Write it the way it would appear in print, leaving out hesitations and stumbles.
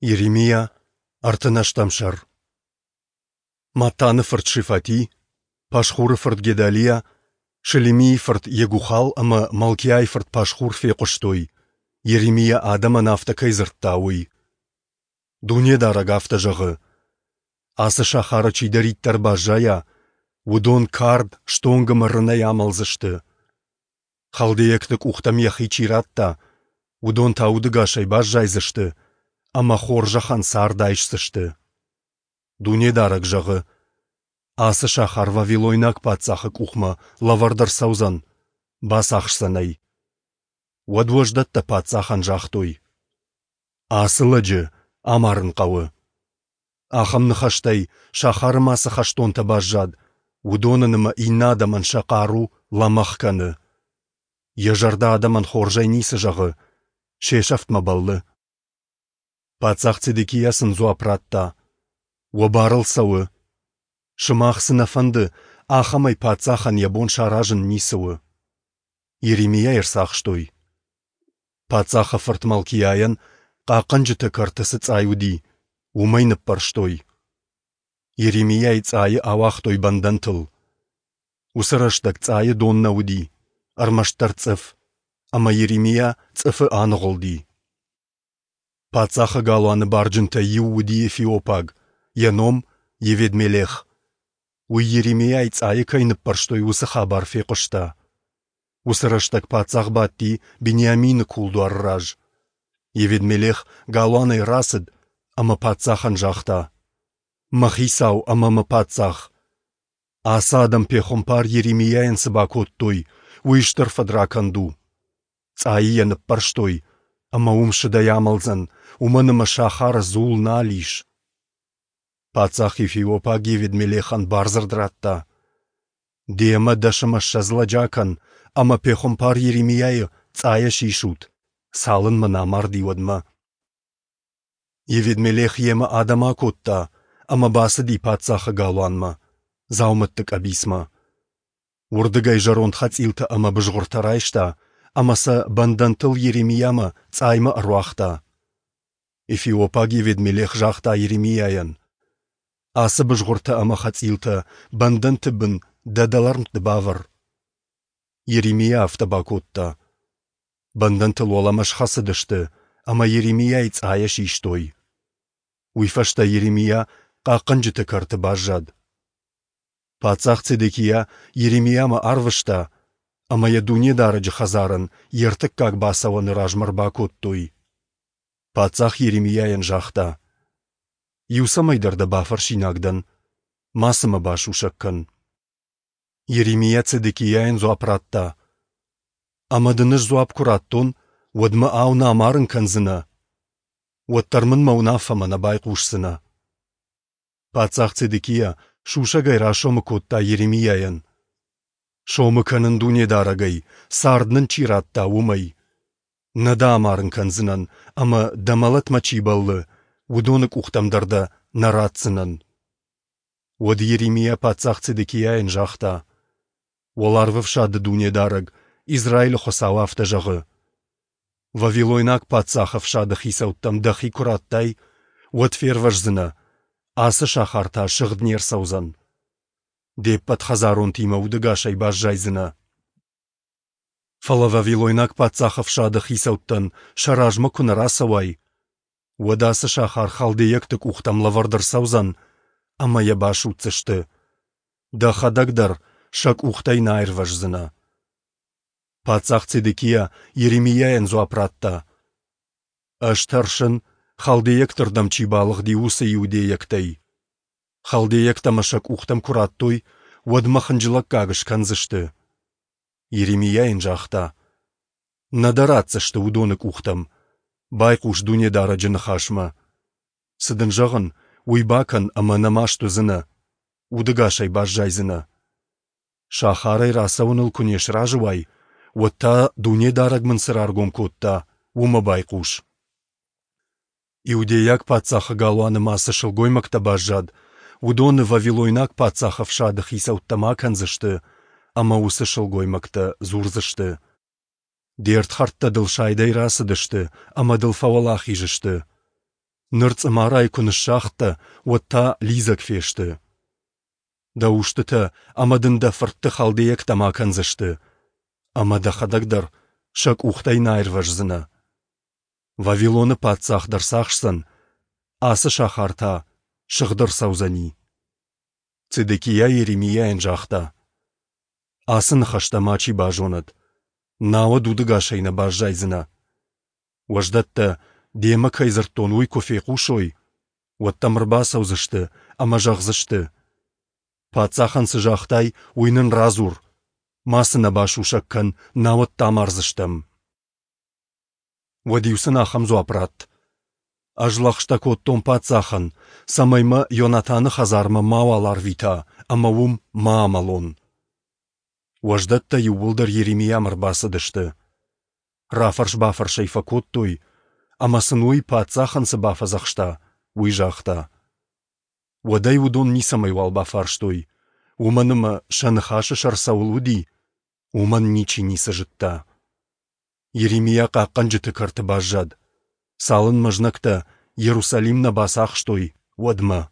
Йеремиа, ӕртынӕстӕм сӕр. Маттаны фырт Шефати, Пашхуры фырт Гедалиа, Шелемийы фырт Йегухал ӕмӕ Малкиайы фырт Пашхур фехъуыстой, Йеремиа адӕмӕн афтӕ кӕй дзырдта, уый. Дунедарӕг афтӕ зӕгъы: Ацы сахары чидӕриддӕр баззайа, уыдон кард, стонг ӕмӕ рынӕй амӕлдзысты. Халдейӕгты къухтӕм йӕхи чи радта, уыдон та удӕгасӕй баззайдзысты ӕмӕ хорзӕхӕн цард айсдзысты. Дунедарӕг зӕгъы: Ацы сахар вавилойнаг паддзахы къухмӕ лӕвӕрд ӕрцӕудзӕн, бацахсдзӕн ӕй. Уӕд уӕздӕттӕ паддзахӕн загътой: Ацы лӕджы амарын хъӕуы. Ахӕм ныхӕстӕй сахары ма цы хӕстонтӕ баззад, уыдонӕн ӕмӕ иннӕ адӕмӕн сӕ хъару лӕмӕгъ кӕны. Йӕ зӕрдӕ адӕмӕн хорзӕй ницы зӕгъы, се сӕфтмӕ бӕллы. Паддзах Цедекиа сын дзуапп радта: Уӕ бар ыл цӕуы. Сымах цы нӕ фӕнды, ахӕмӕй паддзахӕн йӕ бон саразын ницы у. Йеремиайы ӕрцахстой. Паддзахы фырт Малкиайӕн, хъахъхъӕнджыты кӕрты цы цъай уыди, уымӕй ныппӕрстой. Йеремиайы цъайы ауагътой бӕндӕнтыл. Уыцы рӕстӕг цъайы дон нӕ уыди, ӕрмӕстдӕр цъыф, ӕмӕ Йеремиа цъыфы аныгъуылди. Паддзахы галуаны барджынтӕй иу уыди эфиопаг, йӕ ном Еведмелех. Уый Йеремиайы цъайы кӕй ныппӕрстой, уыцы хабар фехъуыста. Уыцы рӕстӕг паддзах бадти Бениамины кулдуары раз. Еведмелех галуанӕй рацыд ӕмӕ паддзахӕн загъта: «Мӕ хицау ӕмӕ мӕ паддзах! Ацы адӕм пехуымпар Йеремиайӕн цы бакодтой, уый стыр фыдракӕнд у. Цъайы йӕ ныппӕрстой, ӕмӕ уым сыдӕй амӕлдзӕн, уымӕн ӕмӕ сахары дзул нал ис». Паддзах Ефиопаг Еведмелехӕн бардзырд радта: «Демӕ 20 лӕджы акӕн ӕмӕ пехуымпар Йеремиайы цъайӕ сисут, цалынмӕ нӕ амарди, уӕдмӕ». Еведмелех йемӕ адӕм акодта ӕмӕ бацыди паддзахы галуанмӕ, дзаумӕтты къӕбицмӕ. Уырдыгӕй зӕронд хӕцъилтӕ ӕмӕ бызгъуыртӕ райста ӕмӕ сӕ бӕндӕнтыл Йеремиамӕ цъаймӕ ӕруагъта. Эфиопаг Еведмелех загъта Йеремиайӕн: «Ацы бызгъуыртӕ ӕмӕ хӕцъилтӕ бӕндӕнты бын дӕ дӕлӕрмтты бавӕр». Йеремиа афтӕ бакодта. Бӕндӕнтыл уӕлӕмӕ схӕцыдысты ӕмӕ Йеремиайы цъайӕ систой. Уый фӕстӕ Йеремиа хъахъхъӕнджыты кӕрты баззад. Паддзах Цедекиа Йеремиамӕ арвыста, ӕмӕ йӕ Дунедарӕджы хӕдзарӕн йе ртыккаг бацӕуӕны размӕ ӕрбакодтой. Паддзах Йеремиайӕн загъта: «Иу цӕмӕйдӕр дӕ бафӕрсинаг дӕн, мацы мӕ басусӕг кӕн». Йеремиа Цедекиайӕн дзуапп радта: «Ӕмӕ дын ӕз дзуапп куы раттон, уӕд мӕ ау нӕ амарын кӕндзынӕ? Уӕддӕр мын мӕ уынаффӕмӕ нӕ байхъусдзынӕ». Паддзах Цедекиа сусӕгӕй расомы кодта Йеремиайӕн: «Сомы кӕнын Дунедарӕгӕй, цард нын чи радта, уымӕй. Нӕ дӕ амарын кӕндзынӕн, ӕмӕ дӕ мӕлӕтмӕ чи бӕллы, уыдоны къухтӕм дӕр дӕ нӕ ратдзынӕн». Уӕд Йеремиа паддзах Цедекиайӕн загъта: «Уӕларвӕфсады Дунедарӕг, Израилы Хуыцау афтӕ зӕгъы: Вавилойнаг паддзахы ӕфсады хицӕуттӕм дӕхи куы радтай, уӕд фервӕздзынӕ, ацы сахар та сыгъд не рцӕудзӕн. Де ппӕт хӕдзаронтимӕ удӕгасӕй баззайдзынӕ. Фӕлӕ вавилойнаг паддзахы ӕфсады хицӕуттӕн сӕ размӕ куы нӕ рацӕуай, уӕд ацы сахар халдейӕгты къухтӕм лӕвӕрд ӕрцӕудзӕн ӕмӕ йӕ басудздзысты. Дӕхӕдӕг дӕр сӕ къухтӕй нӕ аирвӕздзынӕ». Паддзах Цедекиа Йеремиайӕн дзуапп радта: «Ӕз тӕрсын, халдейӕгты рдӕм чи балыгъди, уыцы иудейӕгтӕй. Халдейӕгтӕ мӕ сӕ къухтӕм куы радтой, уӕд мӕ хынджылӕггаг скӕндзысты». Йеремиа йын загъта: «Нӕ дӕ ратдзысты уыдоны къухтӕм. Байхъус Дунедарӕджы ныхасмӕ. Цы дын зӕгъын, уый бакӕн ӕмӕ нӕ маст уыдзынӕ, удӕгасӕй баззайдзынӕ. Сахарӕй рацӕуыныл куы не сразы уай, уӕд та Дунедарӕг мын цы раргом кодта, уымӕ байхъус». Иудейаг паддзахы галуаны ма цы сылгоймӕгтӕ баззад, уыдоны вавилойнаг паддзахы ӕфсады хицӕуттӕм акӕндзысты, ӕмӕ уыцы сылгоймӕгтӕ дзурдзысты: Де рдхӕрдтӕ дыл сайдӕй рацыдысты ӕмӕ дыл фӕуӕлахиз сты. Ныр цъымарайы куы ныссагъдтӕ, уӕд та лидзӕг фесты. Дӕ устытӕ ӕмӕ дын дӕ фыртты халдейӕгтӕм акӕндзысты, ӕмӕ дӕхӕдӕг дӕр сӕ къухтӕй нӕ аирвӕздзынӕ. Вавилоны паддзах дӕ рцахсдзӕн, ацы сахар та сыгъд ӕрцӕудзӕни. Цедекиа Йеремиайӕн загъта: Ацы ныхӕстӕ мачи базонӕд, науӕд удӕгасӕй нӕ баззайдзынӕ. Уӕздӕттӕ, демӕ кӕй дзырдтон, уый куы фехъусой, уӕд дӕм ӕрбацӕудзысты ӕмӕ зӕгъдзысты: Паддзахӕн цы загътай, уый нын радзур, мацы нӕ басусӕг кӕн, науӕд дӕ амардзыстӕм. Уӕд-иу сын ахӕм дзуапп ратт: Ӕз лӕгъстӕ кодтон паддзахӕн, цӕмӕй мӕ Йонатаны хӕдзармӕ мауал арвита ӕмӕ уым ма амӕлон. Уӕздӕттӕ иууылдӕр Йеремиамӕ ӕрбацыдысты. Рафӕрс-бафӕрс ӕй фӕкодтой, ӕмӕ сын уый паддзахӕн цы бафӕдзӕхста, уый загъта. Уӕд ӕй уыдон ницӕмӕйуал бафарстой, уымӕн ӕмӕ сӕ ныхасы сӕр цӕуыл уыди, уымӕн ничи ницы зыдта. Йеремиа хъахъхъӕнджыты кӕрты баззад, цалынмӕ знӕгтӕ Иерусалим нӕ бацахстой, уӕдмӕ.